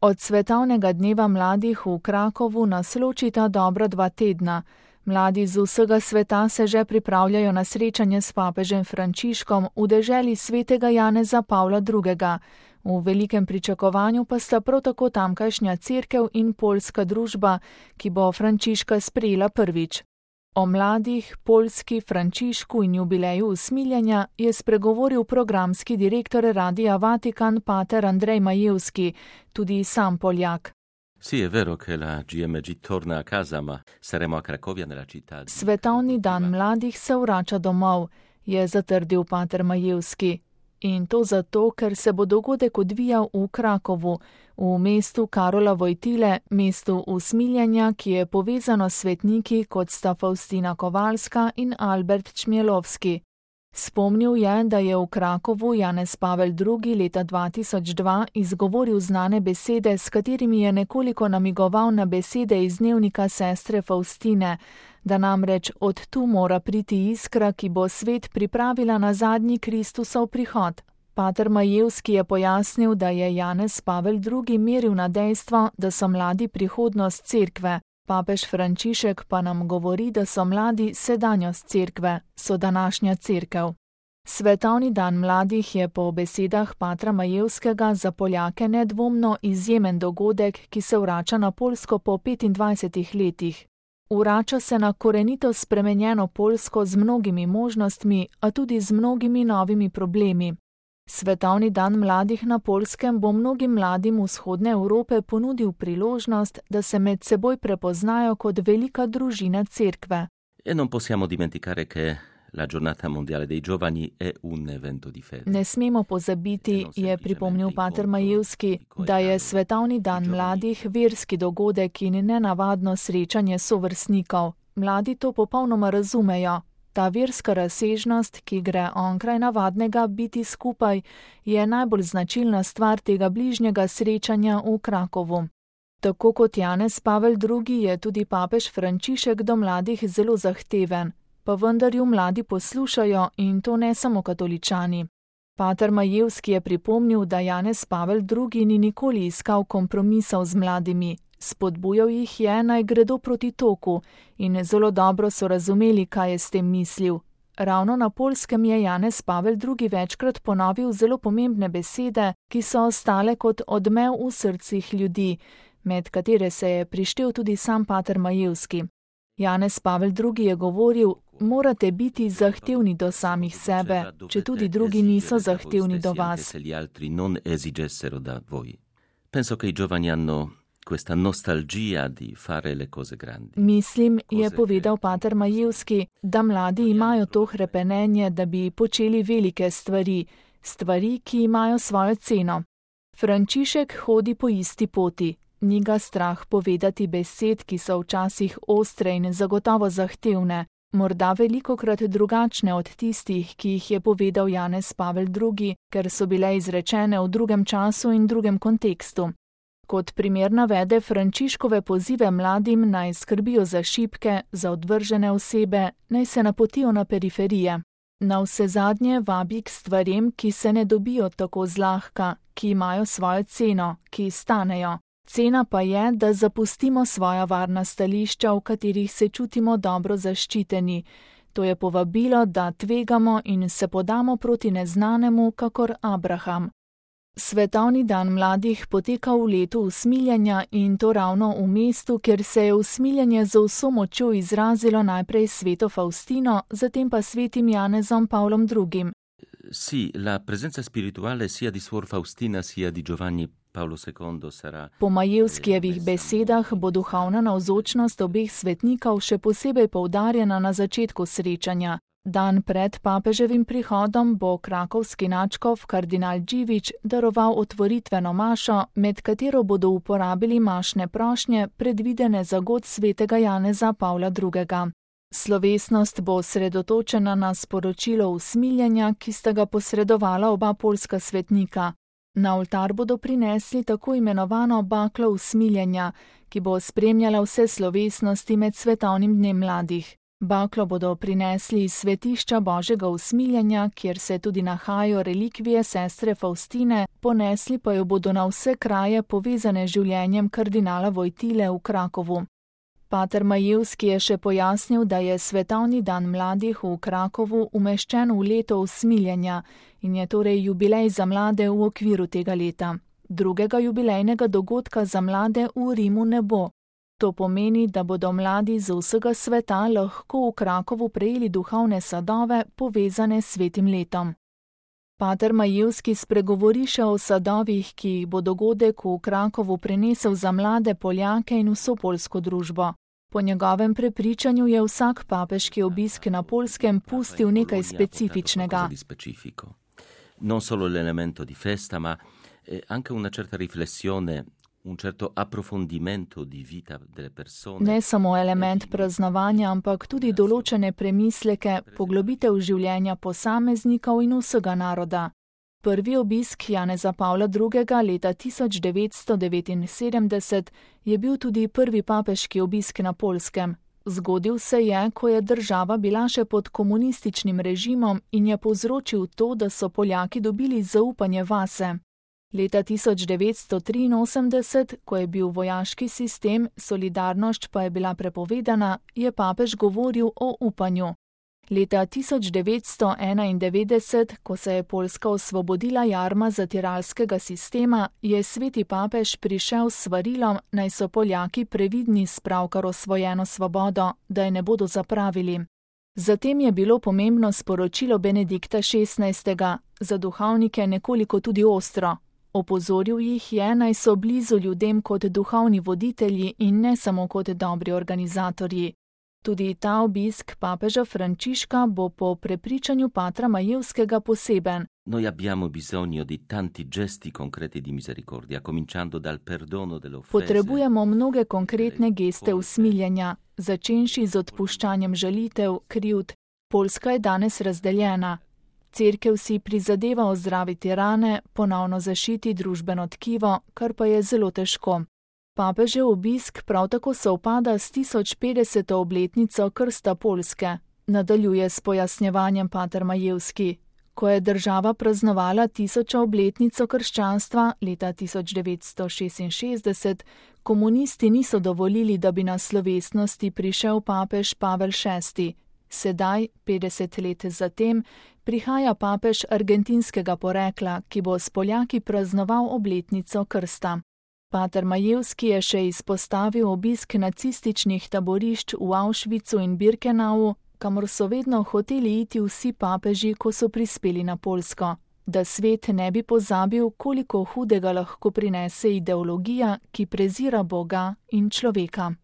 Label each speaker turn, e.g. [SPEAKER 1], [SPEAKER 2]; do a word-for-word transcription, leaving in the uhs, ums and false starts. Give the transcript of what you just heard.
[SPEAKER 1] Od svetovnega dneva mladih v Krakovu nas ločita dobra dva tedna. Mladi z vsega sveta se že pripravljajo na srečanje s papežem Frančiškom v deželi svetega Janeza Pavla drugega. V velikem pričakovanju pa sta prav tako tamkajšnja cerkev in poljska družba, ki bo Frančiška sprejela prvič. O mladih, Poljski, Frančišku in jubileju usmiljenja je spregovoril programski direktor Radia Vatikan pater Andrej Majevski, tudi sam Poljak.
[SPEAKER 2] Sì, è vero che la G M G torna a casa, ma saremo a Cracovia nella città.
[SPEAKER 1] Svetovni dan mladih se vrača domov, je zatrdil pater Majevski. In to zato, ker se bo dogodek odvijal v Krakovu, v mestu Karola Vojtile, mestu usmiljenja, ki je povezano s svetniki, kot sta Faustina Kovalska in Albert Čmjelovski. Spomnil je, da je v Krakovu Janez Pavel drugi. leta dva tisoč dva izgovoril znane besede, s katerimi je nekoliko namigoval na besede iz dnevnika sestre Faustine, da namreč od tu mora priti iskra, ki bo svet pripravila na zadnji Kristusov prihod. Pater Majevski je pojasnil, da je Janez Pavel drugi. meril na dejstvo, da so mladi prihodnost cerkve. Papež Frančišek pa nam govori, da so mladi sedanjost cerkve, so današnja cerkev. Svetovni dan mladih je po besedah patra Majevskega za Poljake nedvomno izjemen dogodek, ki se vrača na Poljsko po petindvajsetih letih. Vrača se na korenito spremenjeno Poljsko z mnogimi možnostmi, a tudi z mnogimi novimi problemi. Svetovni dan mladih na Poljskem bo mnogim mladim vzhodne Evrope ponudil priložnost, da se med seboj prepoznajo kot velika družina cerkve.
[SPEAKER 2] E non possiamo dimenticare che la giornata mondiale dei giovani è un evento di fede.
[SPEAKER 1] Ne smemo pozabiti, je pripomnil pater Majevski, da je svetovni dan mladih verski dogodek in nenavadno srečanje sovrstnikov. Mladi to popolnoma razumejo. Ta verska razsežnost, ki gre onkraj navadnega biti skupaj, je najbolj značilna stvar tega bližnjega srečanja v Krakovu. Tako kot Janez Pavel drugi. je tudi papež Frančišek do mladih zelo zahteven, pa vendar ju mladi poslušajo in to ne samo katoličani. Pater Majevski je pripomnil, da Janez Pavel drugi. ni nikoli iskal kompromisov z mladimi. Spodbujal jih je, naj gredo proti toku in zelo dobro so razumeli, kaj je s tem mislil. Ravno na Poljskem je Janez Pavel drugi. večkrat ponovil zelo pomembne besede, ki so ostale kot odmev v srcih ljudi, med katere se je prištel tudi sam pater Majevski. Janez Pavel drugi. je govoril, morate biti zahtevni do samih sebe, če tudi drugi niso zahtevni do vas.
[SPEAKER 2] Penso che i giovani hanno questa nostalgia di fare le cose grandi.
[SPEAKER 1] Mislim, je povedal pater Majevski, da mladi imajo to hrepenenje, da bi počeli velike stvari, stvari, ki imajo svojo ceno. Frančišek hodi po isti poti. Ni ga strah povedati besed, ki so včasih ostre in zagotovo zahtevne, morda velikokrat drugačne od tistih, ki jih je povedal Janez Pavel drugi., ker so bile izrečene v drugem času in drugem kontekstu. Kot primer navede Frančiškove pozive mladim, naj skrbijo za šibke, za odvržene osebe, naj se napotijo na periferije. Navsezadnje vabi k stvarem, ki se ne dobijo tako zlahka, ki imajo svojo ceno, ki stanejo. Cena pa je, da zapustimo svoja varna stališča, v katerih se čutimo dobro zaščiteni. To je povabilo, da tvegamo in se podamo proti neznanemu, kakor Abraham. Svetovni dan mladih poteka v letu usmiljenja in to ravno v mestu, kjer se je usmiljenje z vso močjo izrazilo najprej sveto Faustino, zatem pa svetim Janezom Pavlom drugim.
[SPEAKER 2] Sì, la presenza spirituale sia di Suor Faustina sia di Giovanni Paolo secondo sarà.
[SPEAKER 1] Po Majevskijevih besedah bo duhovna navzočnost obeh svetnikov še posebej poudarjena na začetku srečanja. Dan pred papeževim prihodom bo krakovski nadškof kardinal Dživič daroval otvoritveno mašo, med katero bodo uporabili mašne prošnje, predvidene za god svetega Janeza Pavla drugega. Slovesnost bo osredotočena na sporočilo usmiljenja, ki sta ga posredovala oba poljska svetnika. Na oltar bodo prinesli tako imenovano baklo usmiljenja, ki bo spremljala vse slovesnosti med svetovnim dnem mladih. Baklo bodo prinesli iz svetišča Božjega usmiljenja, kjer se tudi nahajajo relikvije sestre Faustine, ponesli pa jo bodo na vse kraje povezane z življenjem kardinala Wojtyle v Krakovu. Pater Majevski je še pojasnil, da je svetovni dan mladih v Krakovu umeščen v leto usmiljenja in je torej jubilej za mlade v okviru tega leta. Drugega jubilejnega dogodka za mlade v Rimu ne bo. To pomeni, da bodo mladi z vsega sveta lahko v Krakovu prejeli duhovne sadove, povezane s svetim letom. Pater Majevski spregovori še o sadovih, ki jih bo dogodek v Krakovu prinesel za mlade Poljake in vso poljsko družbo. Po njegovem prepričanju je vsak papeški obisk na Poljskem pustil nekaj specifičnega.
[SPEAKER 2] Non solo l'elemento di festa, ma anche una certa riflessione, un certo approfondimento di vita delle persone.
[SPEAKER 1] Ne samo element praznovanja, ampak tudi določene premisleke, poglobitev življenja posameznikov in vsega naroda. Prvi obisk Janeza Pavla drugega leta tisoč devetsto devetinsedemdeset je bil tudi prvi papeški obisk na Poljskem. Zgodil se je, ko je država bila še pod komunističnim režimom in je povzročil to, da so Poljaki dobili zaupanje vase. Leta tisoč devetsto triinosemdeset, ko je bil vojaški sistem, solidarnost pa je bila prepovedana, je papež govoril o upanju. Leta tisoč devetsto enaindevetdeset, ko se je Poljska osvobodila jarma zatiralskega sistema, je sveti papež prišel s svarilom, naj so Poljaki previdni s pravkar osvojeno svobodo, da je ne bodo zapravili. Zatem je bilo pomembno sporočilo Benedikta šestnajstega, za duhovnike nekoliko tudi ostro. Opozoril jih je, naj so blizu ljudem kot duhovni voditelji in ne samo kot dobri organizatorji. Tudi ta obisk papeža Frančiška bo po prepričanju patra Majevskega poseben.
[SPEAKER 2] Noi abbiamo bisogno di tanti gesti concreti di misericordia, cominciando dal perdono delle offese.
[SPEAKER 1] Potrebujemo mnoge konkretne geste usmiljenja, začenši z odpuščanjem žalitev, krivd. Poljska je danes razdeljena. Cerkev si prizadeva ozdraviti rane, ponovno zašiti družbeno tkivo, kar pa je zelo težko. Papežev obisk prav tako sovpada s tisoč petdeseto obletnico krsta Poljske, nadaljuje s pojasnjevanjem pater Majevski. Ko je država praznovala tisočo obletnico krščanstva leta tisoč devetsto šestinšestdeset, komunisti niso dovolili, da bi na slovesnosti prišel papež Pavel šesti. Sedaj, petdeset let zatem, prihaja papež argentinskega porekla, ki bo s Poljaki praznoval obletnico krsta. Pater Majevski je še izpostavil obisk nacističnih taborišč v Auschwitzu in Birkenau, kamor so vedno hoteli iti vsi papeži, ko so prispeli na Poljsko, da svet ne bi pozabil, koliko hudega lahko prinese ideologija, ki prezira Boga in človeka.